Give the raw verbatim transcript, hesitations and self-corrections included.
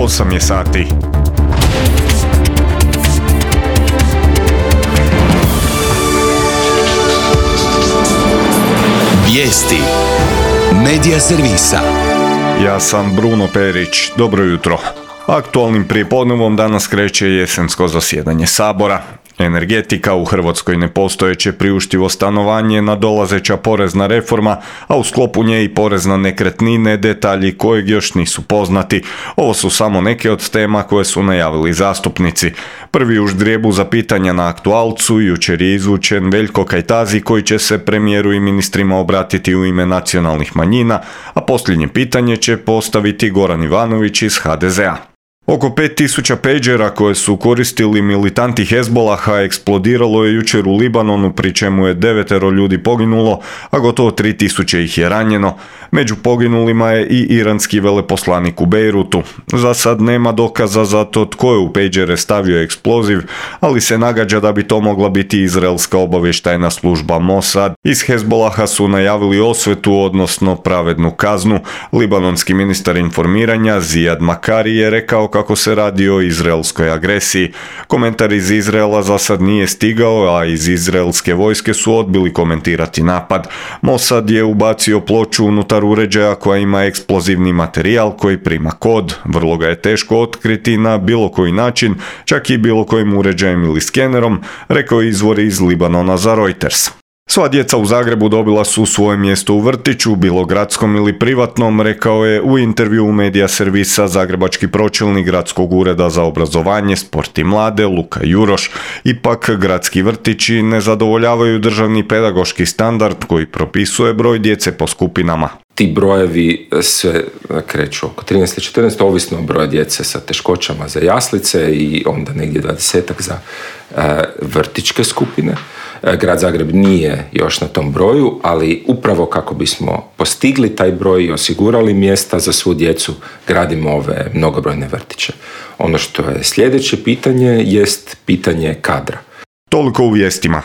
osam je sati. Vijesti Medija servisa. Ja sam Bruno Perić. Dobro jutro. Aktualnim prijepodnevom danas kreće jesensko zasjedanje Sabora. Energetika, u Hrvatskoj nepostojeće priuštivo stanovanje, nadolazeća porezna reforma, a u sklopu nje i porez na nekretnine, detalji kojeg još nisu poznati. Ovo su samo neke od tema koje su najavili zastupnici. Prvi u ždrijebu za pitanja na aktualcu jučer je izvučen Veljko Kajtazi koji će se premijeru i ministrima obratiti u ime nacionalnih manjina, a posljednje pitanje će postaviti Goran Ivanović iz ha de ze a. Oko pet tisuća pejđera koje su koristili militanti Hezbolaha eksplodiralo je jučer u Libanonu, pri čemu je devetero ljudi poginulo, a gotovo tri tisuće ih je ranjeno. Među poginulima je i iranski veleposlanik u Bejrutu. Za sad nema dokaza za to tko je u pejđere stavio eksploziv, ali se nagađa da bi to mogla biti izraelska obavještajna služba Mossad. Iz Hezbolaha su najavili osvetu, odnosno pravednu kaznu. Libanonski ministar informiranja Zijad Makari je rekao kako se radi o izraelskoj agresiji. Komentar iz Izraela za sad nije stigao, a iz izraelske vojske su odbili komentirati napad. Mossad je ubacio ploču unutar uređaja koja ima eksplozivni materijal koji prima kod. Vrlo ga je teško otkriti na bilo koji način, čak i bilo kojim uređajem ili skenerom, rekao izvor iz Libanona za Reuters. Sva djeca u Zagrebu dobila su svoje mjesto u vrtiću, bilo gradskom ili privatnom, rekao je u intervju u Medija servisa zagrebački pročelnik Gradskog ureda za obrazovanje, sport i mlade Luka Juroš. Ipak gradski vrtići ne zadovoljavaju državni pedagoški standard koji propisuje broj djece po skupinama. Ti brojevi se kreću oko trinaest do četrnaest, ovisno o broju djece sa teškoćama za jaslice i onda negdje dvadesetak za e, vrtićke skupine. E, Grad Zagreb nije još na tom broju, ali upravo kako bismo postigli taj broj i osigurali mjesta za svu djecu, gradimo ove mnogobrojne vrtiće. Ono što je sljedeće pitanje jest pitanje kadra. Toliko u vijestima.